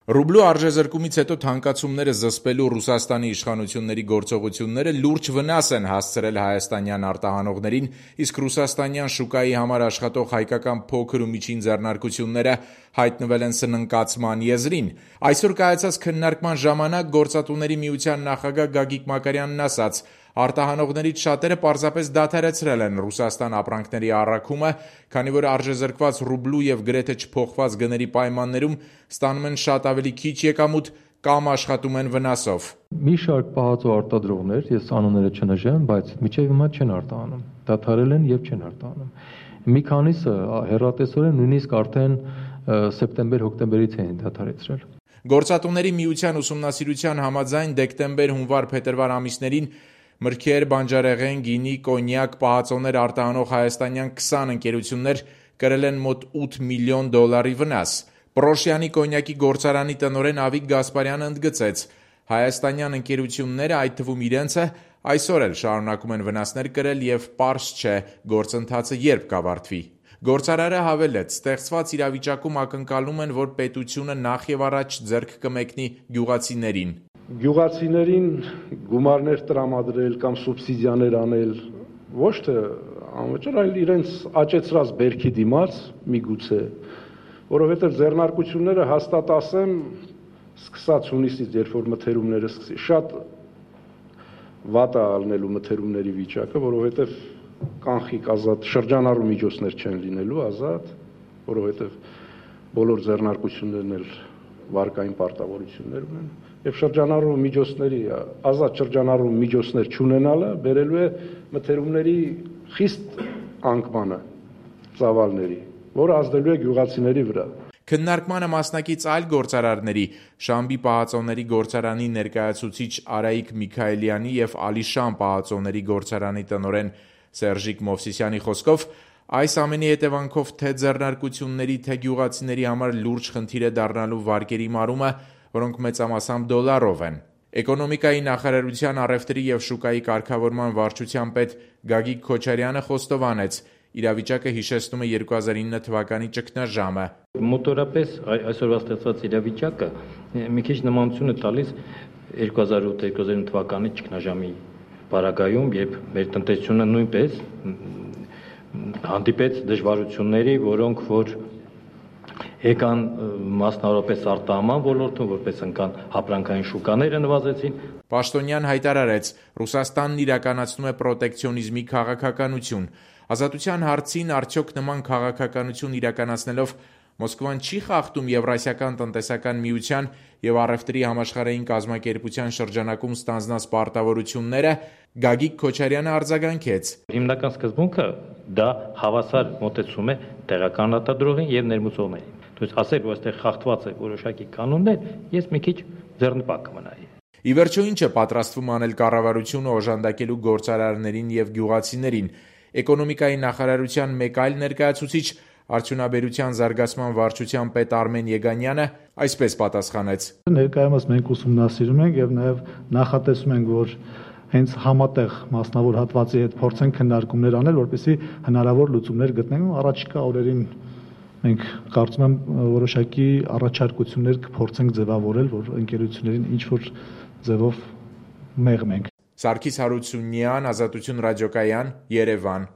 Ռուբլու արժեզրկումից հետո թանկացումները զսպելու Ռուսաստանի իշխանությունների գործողությունները լուրջ վնաս են հասցրել հայաստանյան արտահանողներին, իսկ ռուսաստանյան շուկայի համար աշխատող հայկական փոքր ու միջին ձեռնարկությունները հայտնվել են սննկացման եզրին։ Այսօր կայացած քննարկման ժամանակ Գործատուների միության նախագահ Գագիկ Մակարյանն ասաց. արտահանողներից շատերը պարզապես դադարեցրել են Ռուսաստան ապրանքների առաքումը, քանի որ արժեզրկված ռուբլու և գրեթե չփոխված գների պայմաններում ստանում են շատ ավելի քիչ եկամուտ կամ աշխատում են վնասով։ Մի շարք պահածո արտադրողներ, ես անունները չնշեմ, բայց մինչև հիմա չեն արտահանում, դադարել են և չեն արտահանում։ Մի քանիսը հեռատեսորեն նույնիսկ արդեն սեպտեմբեր-հոկտեմբերից էին դադարեցրել։ Գործատուների միության ուսումնասիրության համաձայն դեկտեմբեր, հունվար, փետրվար ամիսներին մրգեր, բանջարեղեն, գինի, կոնյակ, պահածոներ արտահանող հայաստանյան 20 ընկերություններ կրել են մոտ 8 միլիոն դոլարի վնաս։ Պռոշյանի կոնյակի գործարանի տնօրեն Ավիկ Գասպարյանը ընդգծեց. հայաստանյան ընկերությունները, այդ թվում իրենցը, այսօր էլ շարունակում են վնասներ կրել և պարզ չէ գործընթացը երբ կավարտվի։ Գործարարը հավելեց. ստեղծված իրավիճակում ակնկալում են, որ պետությունը նախ և առաջ ձեռք կմեկնի գյուղացիներին։ Գյուղացիներին գումարներ տրամադրել կամ սուբսիդիաներ անել ոչ թե անվճար, այլ իրենց աճեցրած բերքի դիմաց միգուցե, որովհետև ձեռնարկությունները հաստատ ասեմ, սկսած հունիսից, երբ որ մթերումները սկսի, շատ վատ է ալնելու մթերումների վիճակը, որովհետև կանխիկ ազատ շրջանառու միջոցներ չեն լինելու ազատ, որովհետև բոլոր ձեռնարկություններն էլ վարկային պարտավորություններ ունեն, եւ շրջանառու միջոցների ազատ շրջանառու միջոցներ չունենալը բերելու է մթերումների խիստ անկմանը ծավալների, որը ազդելու է գյուղացիների վրա։ Քննարկմանը մասնակից այլ գործարարների, Շամբի պահածոների գործարանի ներկայացուցիչ Արայիկ Միքայելյանի և Ալիշան պահածոների գործարանի տնօրեն Սերժիկ Մովսիսյանի խոսքով, այս ամենի հետևանքով թե ձեռնարկությունների, թե գյուղացիների համար լուրջ խնդիր է դառնալու վարկերի մարումը, որոնք մեծամասամբ դոլարով են։ Էկոնոմիկայի նախարարության առևտրի և շուկայի կարգավորման վարչության պետ Գագիկ Քոչարյանը խոստովանեց. իրավիճակը հիշեցնում է 2009 թվականի ճգնաժամը։ Մոտորապես այսօրվա ստեղծված իրավիճակը մի քիչ նմանություն է տալիս 2008-2009 թվականի ճգնաժամի պարագայում, երբ մեր տնտեսությունը նույնպես հանդիպեց դժվարությունների, որոնք որ եկան մասնավորապես արտահանման ոլորտում, որպես ընկան ապրանքային շուկաները նվազեցին։ Պաշտոնյան հայտարարեց. Ռուսաստանն իրականացնում է պրոտեկցիոնիզմի քաղաքականություն։ Ազատության հարցին արդյոք նման քաղաքականություն իրականացնելով Մոսկվան չի խախտում Եվրասիական տնտեսական միության և առևտրի համաշխարհային կազմակերպության շրջանակում ստանձնած պարտավորությունները, Գագիկ Քոչարյանը արձագանքեց. Հիմնական սկզբունքը դա հավասար մոտեցում է տեղական արտադրողին և ներմուծողներին։ Ասել, որ այստեղ խախտված է որոշակի կանոններ, ես մի քիչ ձեռնպատ կմնայի։ Ի վերջո ինչ է պատրաստվում անել կառավարությունը օժանդակելու գործարարներին և գյուղացիներին։ Էկոնոմիկայի նախարարության մեկ այլ ներկայացուցիչ, Արդյունաբերության զարգացման վարչության պետ Արմեն Եգանյանը այսպես պատասխանեց. Ներկայումս մենք ուսումնասիրում ենք և նաև նախատեսում ենք, որ հենց համատեղ մասնավոր հատվածի հետ փորձենք քննարկումներ անել, որպեսզի հնարավոր լուծումներ գտնենք։ Առաջիկա օրերին մենք կարծում եմ որոշակի առաջարկություններ կփորձենք ձևավորել, որ ընկերություններին ինչ-որ ձևով մեղմենք։ Սարգիս Հարությունյան, Ազատություն ռադիոկայան, Երևան։